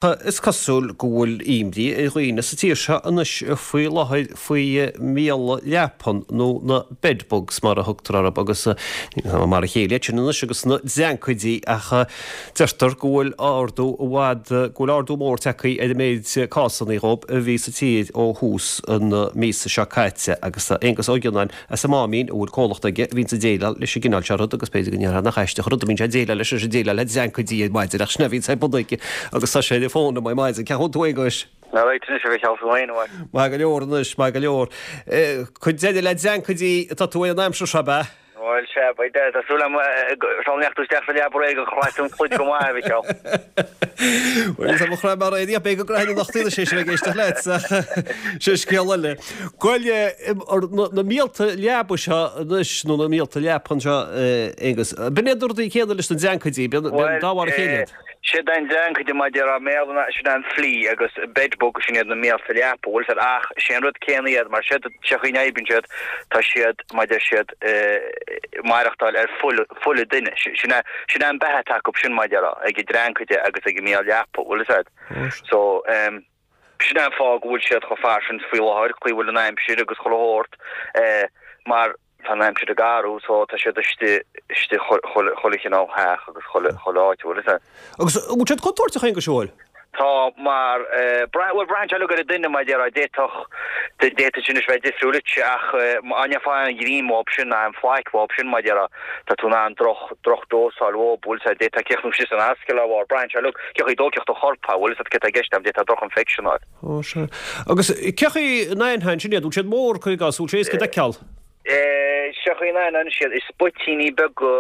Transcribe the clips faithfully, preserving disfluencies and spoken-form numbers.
Is cosúil go bhfuil imní ar dhaoine sa tír seo anois faoi láthair faoi mhíola leapan nó na bedbugs mar a thugtar orthu agus mar a chéile iad sin anois agus na dreancaidí ach deirtear go bhfuil ardú i bhfad go bhfuil ardú mór tagtha ar an méid cásanna dhóibh a bhí sa tír ó thús na míosa seo caite agus tá Aengus Ó Gionnáin as an Máimín a bhfuil comhlacht aige a bhíonns ag déileáil leis an gcineál seo rud agus b'fhéidir go ndéarfá nach aisteach an rud a mbíonn sé ag déileáil leis ag déileáil le dreancaidí ar maidin ach sin a bhíonns ar bun aige agus tá sé ar an bhfón liom ar maidin. Cén chaoi a bhfuil tú Aonghuis? Ná raibh anois a bheith cheal féin uaidh. Maith go leor anois, maith go leor. Cuid eile le dreancaidí atá tú ar an aimsir seo, ab ea? Bhuel, sea, beidh de, tá súil agam go mbeadh tú isteach sa leaba aréir gur chraith tú an chluid go maith, a Mhicheáil. Bhuel, tá mo chraith mar aon, beidh go gcraithfinn anocht í, sé sin ag éisteacht leat, sin scéal eile. Bhuel, na míolta leaba seo anois, nó na míolta leapan seo, Aonghus, b'in iad na rudaí céanna leis na dreancaidí, b'in dá bharr a chéile iad. Siad an dreancaid mar a déarfá i mBéarla ná sin an flea agus bedbug sin iad na míolta leapa, bhfuil 'fhios a'd, ach sé an rud céanna iad mar siad sé chaoi a n-oibríonn siad tá siad mar deir siad maireachtáil ar fuil fuil an duine sin é sin é an beatha atá acu sin mar a déarfá ag an dreancaid agus ag an míol leapa, bhfuil 'fhios a'd. So ehm sin é an fáth go bhfuil siad chomh fairsing faoi láthair, chaoi a bhfuil an aimsir agus chuile shórt eh mar Tá an aimsir ag athrú so tá siad istigh istigh chuile chuile chineál theach agus chuile chuile áit, bhfuil 'fhios a'd. Agus an bhfuil siad contúirteach Aonghuis an bhfuil? Tá mar eh brath bhuel braitheann sé uilig ar an duine mar a déarfá d'fhéadfadh d'fhéadfadh sin anois bheith difriúil duitse ach má gheofá aon ghreim uathub sin ná aon phlaic uathub sin mar a déarfá tá tú in ann droch droch dósáil uathub bhfuil 'fhios a'd d'fhéadfá críochnú síos san ascaill dá bharr braitheann sé uilig cé chaoi a dtóigfeadh do chorp é bhfuil 'fhios a'd céard tá i gceist a'm d'fhéadfá droch infection a fháil. Ó sea. Agus cé chaoi a n-aithneofá ansin iad bhfuil siad mór cuir i gcás bhfuil sé éasca d'fheiceáil? Sé chaoi a n-aithneofá siad, is spoitíní beaga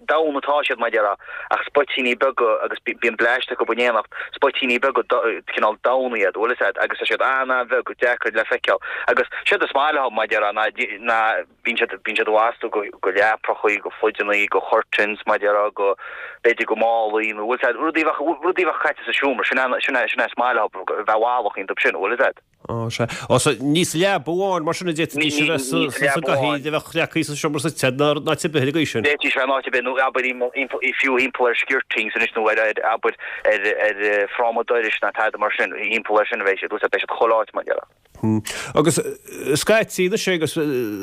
donn atá siad, mar a déarfá, ach spoitíní beaga agus bíonn bleaist acu in éineacht, spoitíní beaga cineál donn iad, bhfuil 'fhios a'd, agus tá siad an-an-bheag, deacair le feiceáil. Agus séard is maith leo, mar a déarfá, ná ná bíonn siad bíonn siad ag astú go go leaprachaí, go pluideannaí, go curtains, mar a déarfá, go b'fhéidir go málaí nó bhfuil 'fhios a'd, rudaí a bheadh rudaí a bheadh caite sa seomra, sin é sin é sin é is maith leo, a bheith bhallach iontu sin, bhfuil 'fhios a'd. Ó, sea. Ó, so, ní sa leaba amháin, mar sin a d'fhéadfaidís a bheith sa gcathaoir a bheadh leagtha sa seomra suite ná in áit ar bith ar an gcaoi sin. D'fhéadfaidís bheith in áit ar bith, nó abair fiú thimpeall ar skirtings anois nó ar, abair, ar ar fráma dorais ná tada mar sin, thimpeall ar sin a bheidh siad, bheidh siad chuile áit mar a déarfá. Agus scaití anois agus a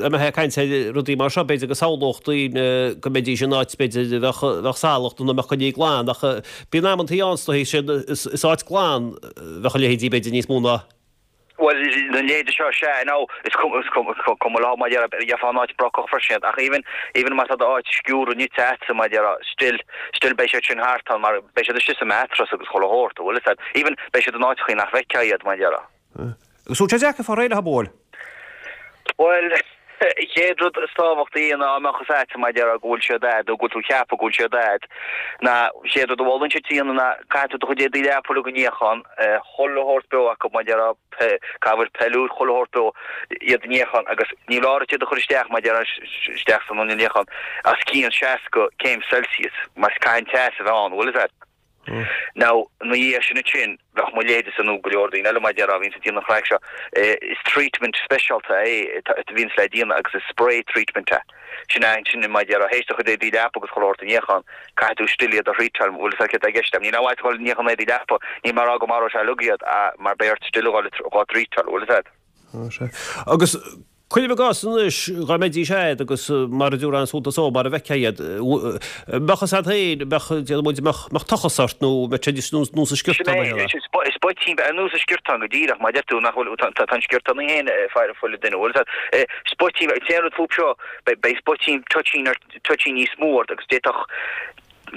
mbeifeá ag caint ar rudaí mar seo, b'fhéidir go samhlódh daoine go mbeidís in áit b'fhéidir a bheadh bheadh salach nó nach mbeadh coinnithe glan ach bíonn amantaí ann is dóichí, is áit glan a bheadh a leithéidí b'fhéidir níos mó ná Bhuel, na leithéidí seo, sea, now, is cuma, is cuma, cuma leo, mar a déarfá, gheofá in áit brocach freisin iad, ach even, even má tá d'áit sciúrtha nite a'dsa, mar a déarfá, still, still beidh siad sin thart ann, mar beidh siad istigh sa mattress agus chuile shórt, an bhfuil 'fhios a'd, even beidh siad in áiteachaí nach bhfeicfeá iad, mar a déarfá. Agus bhfuil sé deacair fáil réidh leo, an bhfuil? Bhuel, chéad rud is tábhachtaí ná dá mbeadh 'fhios a'd, mar a déarfá, go bhfuil siad a'd, nó go bhfuil tú ag ceapadh go bhfuil siad a'd, ná chéad rud a mholfainnse duit a dhéanamh ná caithfidh tú do chuid éadaí leapa uilig a níochán, chuile shórt beo acu, mar a déarfá, cabhair peiliúir, chuile shórt beo, iad a níochán agus ní leor iad a chur isteach, mar a déarfá, isteach san inneall níocháin, os cionn seasca céim Celsius, mar caithfidh an teas a bheith ann, bhfuil 'fhios a'd. Now, ina dhiaidh sin ansin, bheadh mo leithéidese nó go leor daoine eile mar a déarfá a bhíonns ag déanamh an chraic seo, is treatment speisialta é a bhíonns le déanamh agus is spray treatment é. Sin é ansin mar a déarfá, théis do chuid éadaí leapa agus chuile shórt a níochán, caithfidh tú still iad a threatáil, bhfuil 'fhios a'd céard tá i gceist agam. Níl aon mhaith dul ag níochán éadaí leapa, níl mé ag rá go maróidh sé uilig iad, mar beidh ort still a dhul dhá dtreatáil, bhfuil 'fhios a'd. Sea. Agus cuirim i gcás anois, dhá mbeidís a'd agus mar a dtabharfá suntas dó, mar a bhfeicfeá iad, mbeadh fhios a'd féin, mbeadh, déarfaidh muid, mbeadh, mbeadh tochas ort nó mbeadh sé níos nós an sciortán a Sin é, spoitín, ar nós an sciortán go díreach, mar a deir tú, nach bhfuil, tá, tá an sciortán í féin ag faire fuil an duine, bhfuil fhios a'd. Spoitín, an t-aon rud fúb seo, beidh, beidh spoitín, toitín ar, toitín níos mó ort agus d'fhéadfadh,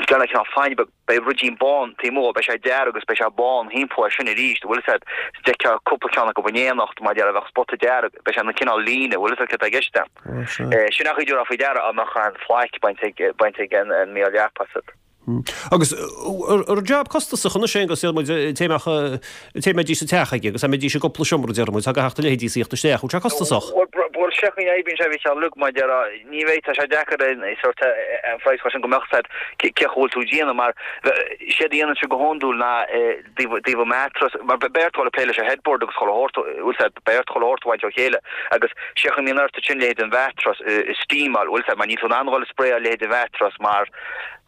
gan a cineál fáinne beag, Beidh ruidín bán taobh amuigh, beidh sé dearg agus beidh sé bán thimpeall air sin arís, bhfuil 'fhios a'd, d'fheicfeá cúpla ceann acu in éineacht, mar a déarfá, bheadh spota dearg, beidh sé ina cineál líne, bhfuil 'fhios a'd céard tá i gceist a'm. Sin an chaoi a dtabharfá faoi deara dá mbeadh an phlaic bainte ag, bainte ag an míol leapa asat. Agus an raibh jab costasach anois é agus déarfaidh muid an té a mbeadh, an té a mbeidís sa teach aige agus a mbeidís i gcúpla seomra déarfaidh muid, tá gach a leithéidí ag tíocht isteach, bhfuil sé costasach? Bhuel, sé chaoi a oibríonn sé a Mhicheáil, look, mar a déarfá, Ní bheidh, tá sé deacair an sórt an phraghas chur sin go mbeadh 'fhios a'd cé chaoi bhfuil tú ag déanamh mar séard a dhéanann siad go hiondúil ná taobh taobh an mattress mar beidh ort dul ag plé leis an headboard agus chuile shórt bhfuil 'fhios a'd beidh ort chuile shórt a bhaint ó chéile agus sé chaoi a mbíonn ort ansin leithéid an mhattress a steamáil bhfuil 'fhios a'd mar níl tú in ann dhul ag sprayáil leithéid an mhattress mar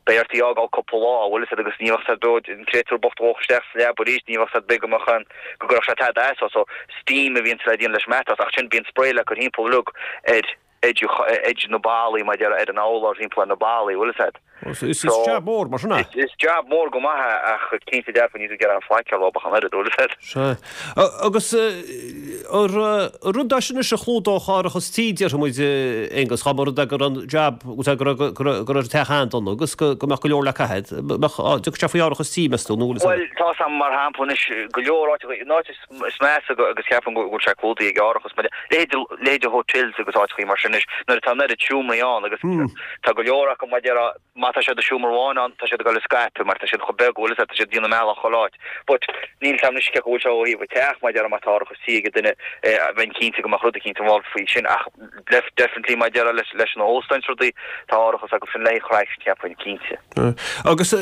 Beidh ort í a fhágáil cúpla lá, bhfuil fhios agat, agus ní bheadh sé dóid an créatúr bocht a dhul isteach sa leaba arís, ní bheadh sé big amach an go gcuirfeadh sé tada as, so steam a bhíonn le déanamh leis matas, ach sin bíonn spray le cur thimpeall uilig ar edge edge na ballaí mar déarfá ar an urlár thimpeall ar na ballaí, bhfuil fhios agat. Is jab mór mar sin é. Is jab mór go maith é ach cinnte dearfa níl tú ag iarraidh an faic a rá ach an oiread, bhfuil fhios agat. Sea. Agus an rud é sin anois a chlúdódh árachas tí, déarfaidh muid, Aonghus, dá mba rud é go raibh an jab, go raibh go raibh an teach an-dona agus go mbeadh go leor le caitheamh, mbeadh, dtiocfadh sé faoi árachas tí, meas tú, nó bhfuil fhios agat? Bhuel, tá 'fhios a'm mar shampla anois go leor áiteacha, an áit is measa agus ceapaim go bhfuil sé clúdaithe ag árachas, leithéid leithéid hotels agus áiteacha mar sin anois nuair atá an oiread seomraí ann agus tá go leor acu mar déarfá, má tá siad i seomra amháin ann, tá siad ag dul ag scaipeadh mar tá siad chomh beag, bhfuil fhios agat, tá siad ag déanamh a mbealach chuile áit. But níl 'fhios a'm anois cé go bhfuil sé ó thaobh an teach, mar déarfá má tá árachas tí ag duine, bheinn cinnte go mbeadh rud eicínt involved faoi sin ach definitely mar déarfá leis leis na hóstáin is rudaí, tá árachas acu sin le haghaidh craic, cheapfainn, cinnte. Agus cé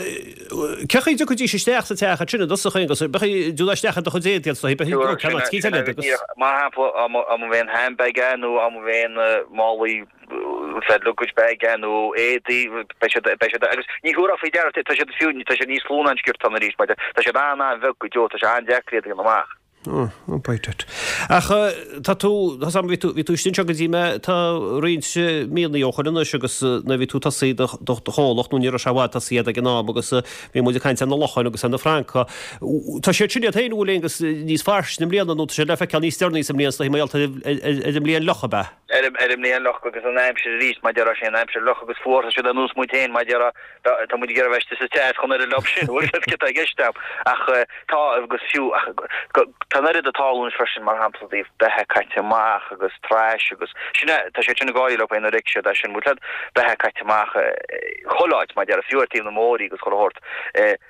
chaoi a dtiocfaidís isteach sa teach ansin i dtosach, Aonghus, beidh dul isteach i do chuid éadaí agus beidh ceann áit eicínt eile agus. Mar shampla, dá mba handbag é nó dá mba málaí said luggage bag é nó éadaí, beidh siad, beidh siad, agus ní thabharfá faoi deara, tá siad fiú, tá siad níos lú ná an sciortán arís, mar tá siad an-an-bheag go deo, tá sé an-deacair iad a dhéanamh amach. Oh, oh, bite it. Ach tá tú, tá sam, bhí tú, bhí tú istigh anseo go dtí mé, tá roinnt míonna ó shoin anois agus nuair a bhí tú ag tosaí do, do, do chomhlacht nó ní raibh sé i bhfad tosaithe ag an am agus bhí muid ag caint ar na locháin agus ar na francaigh. Tá siad sin iad féin, an bhfuil Aonghus, níos fairsinge i mbliana nó tá siad le feiceáil níos deireanaí sa mbliain, is dóigh, mar gheall ar an mbliain fhliuch, ab ea? Ar an mbliain fhliuch agus an aimsir arís, mar déarfá, sé an aimsir fhliuch agus fuar, tá siad ar nós muid féin, mar déarfá, tá muid ag iarraidh bheith istigh sa teas chun oiread leo sin, bhfuil fhios agat céard atá i gceist a'm. Ach tá, agus fiú, ach tá an oiread ag tarlú anois freisin, mar shampla, i dtaobh beatha caite amach agus trash agus sin é, tá siad sin ag gáirí leo féin nuair a fheicfidh siad é sin, bhfuil fhios agat, beatha caite amach chuile áit, mar déarfá, fiú ar taobh na mbóithrí agus chuile shórt,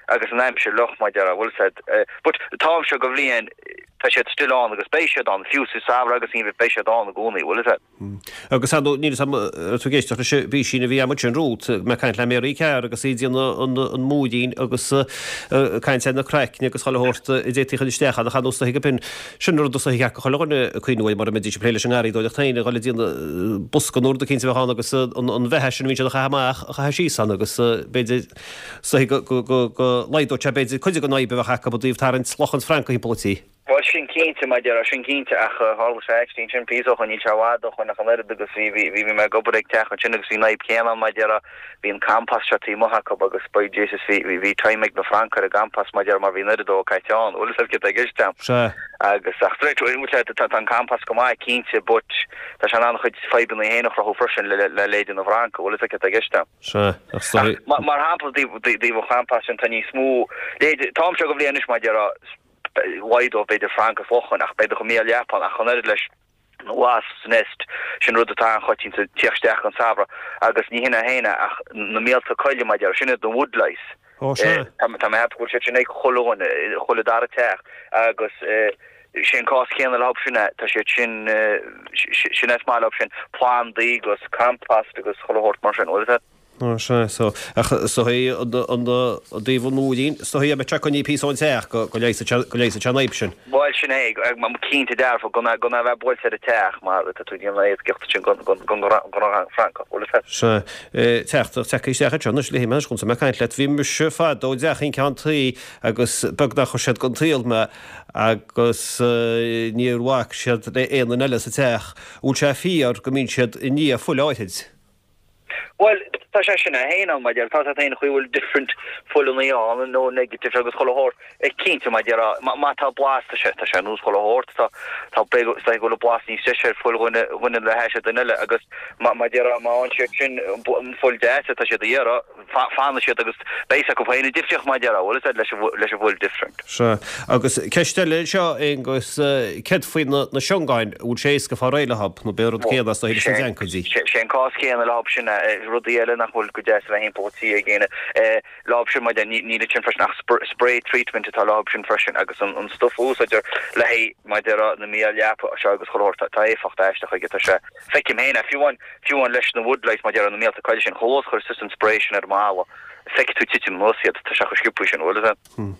agus an aimsir fhliuch, mar déarfá, bhfuil fhios agat. But an t-am seo go bhliain, Tá siad still ann agus beidh siad ann, fiú sa samhradh agus geimhreadh, beidh siad ann i gcónaí, bhfuil fhios agat. Agus ar ndóigh, níl fhios agam an raibh tú ag éisteacht leis an bpísín a bhí agam ansin romhat, mé ag caint le Mary Carr agus í ag déanamh an múirín agus ag caint ar na craicne agus chuile shórt a d'fhéadfaí a chur isteach ann ach ar nós is dóiche go b'in sin rud is dóiche go chuile dhuine ag cuimhniú air mura mbeidís ag plé leis an ngarraíodóireacht féin a dhul ag déanamh bosca nó rud eicínt a bheadh ann agus an bheatha sin a bhíonn siad a chaitheamh amach a chaitheamh síos ann agus b'fhéidir is dóiche go go go laghdódh sé b'fhéidir cuid den fhadhb a bheadh acu i dtaobh tarraingt locháin is francaigh thimpeall an tí. Bhuel, sin cinnte, mar a déarfá, sin cinnte, ach tharla sé actually ansin píosa ó shoin, níl sé i bhfad ó shoin ach an oiread agus bhí, bhí, bhí mé ag obair ag teach ansin agus bhí an fhadhb chéanna ann, mar a déarfá, bhí an compost seo taobh amuigh acu agus by Jesus bhí, bhí, bhí time ag na francaigh ar an gcompost, mar a déarfá, mar bhí an oiread dó caite ann, bhfuil fhios agat céard atá i gceist a'm. Sea. Agus, ach straight away, bhfuil sé, tá, tá an compost go maith, cinnte, but tá sé in ann a chuid fadhbanna féin a chruthú freisin le, le, le leithéide na bhfrancach, bhfuil fhios agat céard atá i gceist a'm. Sea, ach is dóigh. Ach, mar shampla, i dtaobh an chompost sin, tá níos mó, leithéide, an t-am seo go bhliain anois, mar a déarfá, laghdódh b'fhéidir francaigh is locháin ach beidh do mhíol leapa ann ach an oiread leis an wasps nest, sin rud atá an-choitianta ag tíocht isteach don samhradh agus ní hin é féin é ach na míolta coille mar a déarfá, sin iad na woodlice. Ó sea. Tá mé ag ceapadh go bhfuil siad sin ag chuile dhuine, chuile dara teach agus sé an cás céanna leo sin é, tá siad sin, sin é is maith leo sin, plandaí agus compost agus chuile shórt mar sin, bhfuil fhios agat? Ó sea, so, ach is dóigh an taobh an mhúirín, is dóigh a mbeadh sé coinnithe píosa ón teach go go leigheasfadh sé go leigheasfadh sé an fhadhb sin. Bhuel sin é, cinnte dearfa, gan gan a bheith buailte ar an teach mar tá tú ag déanamh éascaíocht ansin don don don don francach, bhfuil fhios agat? Sea, teacht teacht isteach anseo anois léifidh mé anois chun mé ag caint leat. Bhí mise fadó i dteach an ceann tuí agus beag nár chuir siad den tsaol mé agus níor bhac siad le aon duine eile sa teach. Bhfuil sé fíor go mbíonn siad i ndiaidh fuil áithrid? Bhuel, tá sé sin é féin ann, mar a déarfá, tá sé féin chaoi bhfuil different fuileanna ann, O negative agus chuile shórt, cinnte, mar a déarfá, má tá blas, tá sé, tá sé ar nós chuile shórt, tá, tá, is dóigh go bhfuil blas níos deise ar fuil dhuine, dhuine le hais duine eile agus má, mar a déarfá, má fhaigheann siad sin an fuil deas atá siad a iarraidh, fanfaidh siad agus beidh fhios acu féin an difríocht, mar a déarfá, bhfuil fhios agat, leis an, leis an bhfuil different. Sea. Agus ceist eile anseo, Aonghus, céard faoi na, na siongáin, an bhfuil sé éasca fáil réidh leo, nó b'é an rud céanna is dóigh leis na dreancaidí? Sé an cás céanna leo sin, rudaí eile nach bhfuil go deas a bheith thimpeall an tí ag éinne leo sin, mar níl ansin freisin ach spray treatment atá leo sin freisin agus an stuif a úsáidtear le haghaidh, mar a déarfá, na míol leapa seo agus chuile shórt, tá éifeacht aisteach aige, tá sé, feicim féin é, fiú amháin, fiú amháin leis na woodlice, mar a déarfá, na míolta coille sin, chomh luath is a chuireas tusa an spray sin ar an mballa, feicfidh tú titim anuas iad, tá sé chomh sciobtha sin, bhfuil fhios agat.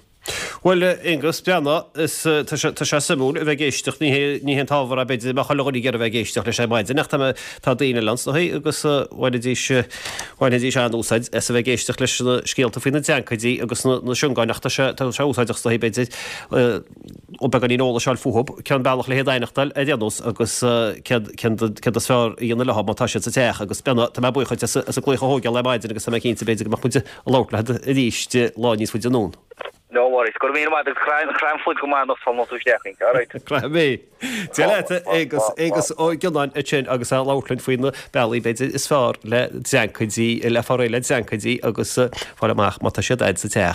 Bhuel, Aonghus, breathnaigh, is tá sé tá sé suimiúil a bheith ag éisteacht, ní hé ní hé an t-ábhar é b'fhéidir a mbeadh chuile dhuine ag iarraidh a bheith ag éisteacht leis ar maidin ach tá mé tá daoine eile ann is dóigh agus bhainfidís bhainfidís an-úsáid as a bheith ag éisteacht leis na scéalta faoi na dreancaidí agus na na siongáin ach tá sé tá sé úsáideach is dóigh b'fhéidir ó beagáinín eolais a fháil fúthu, cén bealach le hiad a aithneachtáil ar aon nós agus céard céard céard is fearr a dhéanamh leo má tá siad sa teach agus breathnaigh tá mé buíoch duit as as an glaoch a thógáil ar maidin agus tá mé cinnte b'fhéidir go mbeadh muid ag labhairt leat arís lá níos faide anonn. No worries. Go raibh míle maith agat. Croith an phluid go maith anocht sula tú isteach inti. Alright. Croithfidh mé. Dia leat, Aonghus, Aonghus Ó Gionnáin ansin agus é ag labhairt linn faoi na bealaí b'fhéidir is fearr le dreancaidí, le fáil réidh le dreancaidí agus fáil amach má tá siad a'd sa teach.